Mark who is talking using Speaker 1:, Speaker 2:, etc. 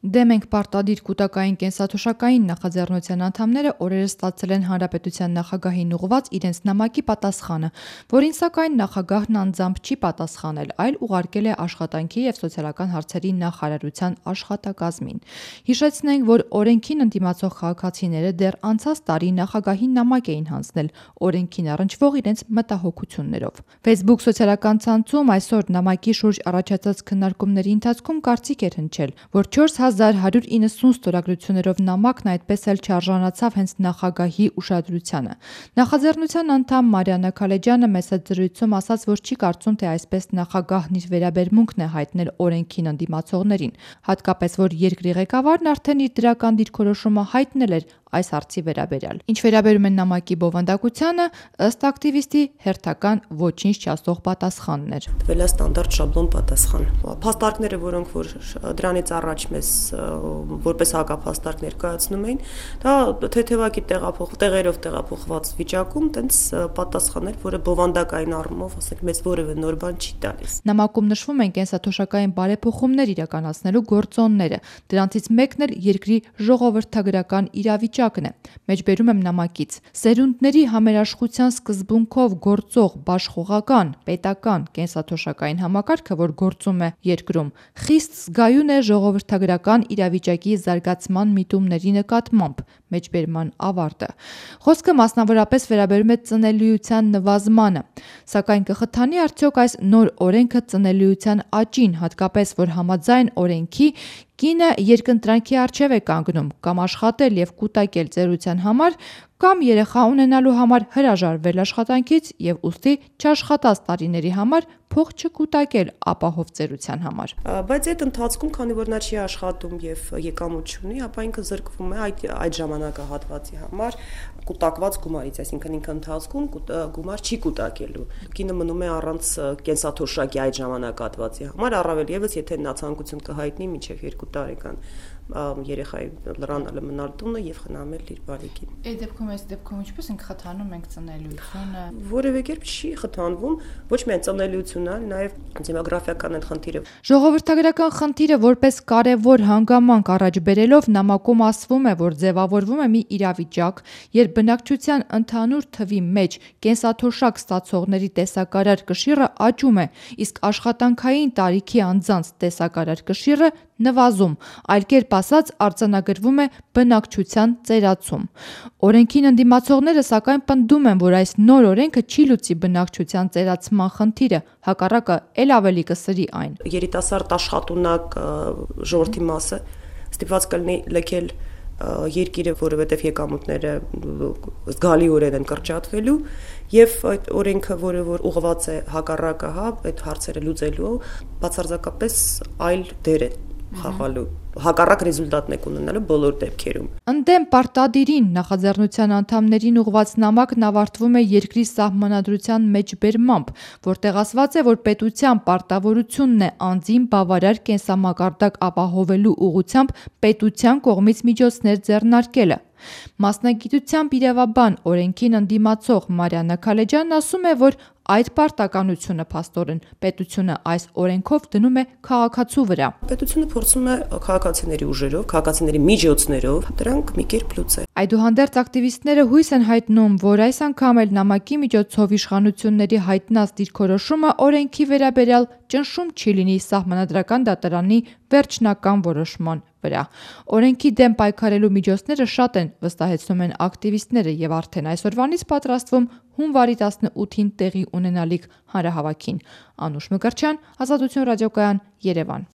Speaker 1: Դեմ ենք պարտադիր կուտակային կենսաթոշակային նախաձեռնության անդամները օրերս ստացել են Հանրապետության նախագահին ուղղված իրենց նամակի պատասխանը, որին սակայն նախագահն անձամբ չի պատասխանել, այլ ուղարկել է Աշխատանքի և սոցիալական հարցերի նախարարության աշխատակազմին։ Հիշեցնենք, որ օրենքին ընդդիմացող քաղաքացիները դեռ անցած տարի նախագահին նամակ էին հանձնել օրենքին առնչվող իրենց մտահոգություններով։ Facebook սոցիալական ցանցում այսօր նամակի շուրջ առաջացած քննարկումների ընթացքում կարծիք էր հնչել, որ 4190 ստորագրություններով նամակն այդպես էլ չարժանացավ հենց նախագահի ուշադրությանը։ Նախաձեռնության անդամ Մարիաննա Քալեջյանը մեծ զրույցում ասաց, որ չի կարծում, թե այսպես նախագահն իր վերաբերմունքն է հայտնել օրենքին ընդդիմացողներին, հատկապես որ երկրի ղեկավարն արդեն իր դրական դիրքորոշումը հայտնել էր այս հարցի վերաբերյալ։ Ինչ վերաբերում է նամակի բովանդակությանը, ըստ ակտիվիստի հերթական ոչինչ չասող պատասխանն էր։
Speaker 2: Տվել է ստանդարտ շաբլոն պատասխան։ Փաստարկները, որոնք որ դրանից առաջ մեզ որպես հակափաստարկ ներկայացնում էին, դա թեթևակի տեղերով տեղափոխված վիճակում տենց պատասխաներ, որը բովանդակային առումով, ասենք, մեզ որևէ նոր բան չի տալիս։
Speaker 1: Նամակում նշվում են կենսաթոշակային բարեփոխումներ իրականացնելու գործոնները։ Դրանցից մեկն էլ երկրի ժողովրդագրական իրավիճակն է։ Մեջբերում եմ նամակից. սերունդների համերաշխության սկզբունքով գործող բաշխողական պետական կենսաթոշակային համակարգը, որ գործում է երկրում, խիստ զգայուն է ժողովրդագրական իրավիճակի զարգացման միտումների նկատմամբ։ Մեջբերման ավարտը։ Խոսքը մասնավորապես վերաբերում է ծնելիության նվազմանը, սակայն կխթանի արդյոք այս նոր օրենքը ծնելիության աճին, հատկապես որ համաձայն օրենքի կինը երկընտրանքի առջև է կանգնում կամ աշխատել և կուտակել ծերության համար, կամ երեխա ունենալու համար հրաժարվել աշխատանքից և ուստի չաշխատած տարիների համար փող չկուտակել ապահով ծերության համար։
Speaker 2: Բայց այդ ընթացքում, քանի որ նա չի աշխատում եւ եկամուտ չունի, ապա ինքը զրկվում է այդ ժամանակահատվածի համար կուտակված գումարից, այսինքն ինքը ընթացքում գումար չի կուտակելու։ Կինը մնում է առանց կենսաթոշակի այդ ժամանակահատվածի համար, առավել եւս եթե նա ցանկություն կհայտնի մինչեւ 2 տարեկան երեխայի լրանալը մնալ տունը եւ խնամել իր բարեկին։
Speaker 1: Այս դեպքում ինչպես ենք խթանում ենք ծնելիությունը։
Speaker 2: Որևէ կերպ չի խթանվում, ոչ միայն ծնելիությունը, այլ նաեւ դեմոգրաֆիական այդ խնդիրը։
Speaker 1: Ժողովրդագրական խնդիրը որպես կարևոր հանգամանք առաջ բերելով նամակում ասվում է, որ ձևավորվում է մի իրավիճակ, երբ բնակչության ընդհանուր թվի մեջ կենսաթոշակ ստացողների տեսակարար կշիռը աճում է, իսկ աշխատանքային տարիքի անձանց տեսակարար կշիռը նվազում, այլ կերպ ասած արձանագրվում է բնակչության ծերացում։ Օրենքին ընդդիմացողները սակայն պնդում են, որ այս նոր օրենքը չի լուծի բնակչության ծերացման խնդիրը, հակառակը էլ ավելի կսրի այն։
Speaker 2: Երիտասարդ աշխատունակ ժողովրդի մասը ստիպված կլինի լքել երկիրը, որովհետև եկամուտները զգալիորեն են կրճատվելու եւ այդ օրենքը, որը որ ուղղված է հակառակը, այդ հարցերը լուծելու, բացարձակապես այլ դեր է խաղալու, հակառակ ռեզուլտատն է ունենալու բոլոր դեպքերում։
Speaker 1: Ընդդեմ պարտադիրին նախաձեռնության անդամներին ուղղված նամակն ավարտվում է երկրի սահմանադրության մեջբերմամբ, որտեղ ասված է, որ պետության պարտավորությունն է անձին բավարար կենսամակարդակ ապահովելու ուղղությամբ պետության կողմից միջոցներ ձեռնարկելը։ Մասնագիտությամբ իրավաբան, օրենքին ընդդիմացող Մարիաննա Քալեջյանն ասում է, որ այդ պարտականությունը փաստորեն պետությունը այս օրենքով դնում է քաղաքացու վրա։
Speaker 2: Պետությունը փորձում է քաղաքացիների ուժերով, քաղաքացիների միջոցներով դրանք մի կերպ լուծել։
Speaker 1: Այդուհանդերձ ակտիվիստները հույս են հայտնում, որ այս անգամ էլ նամակի միջոցով իշխանությունների հայտնած դիրքորոշումը օրենքի վերաբերյալ ճնշում չի լինի Սահմանադրական դատարանի վերջնական որոշման վրա։ Օրենքի դեմ պայքարելու միջոցները շատ են, վստահեցնում են ակտիվիստները եւ արդեն այսօրվանից պատրաստվում հունվարի 18-ին տեղի ունենալիք հանրահավաքին։ Անուշ Մկրտչյան, Ազատություն ռադիոկայան, Երևան։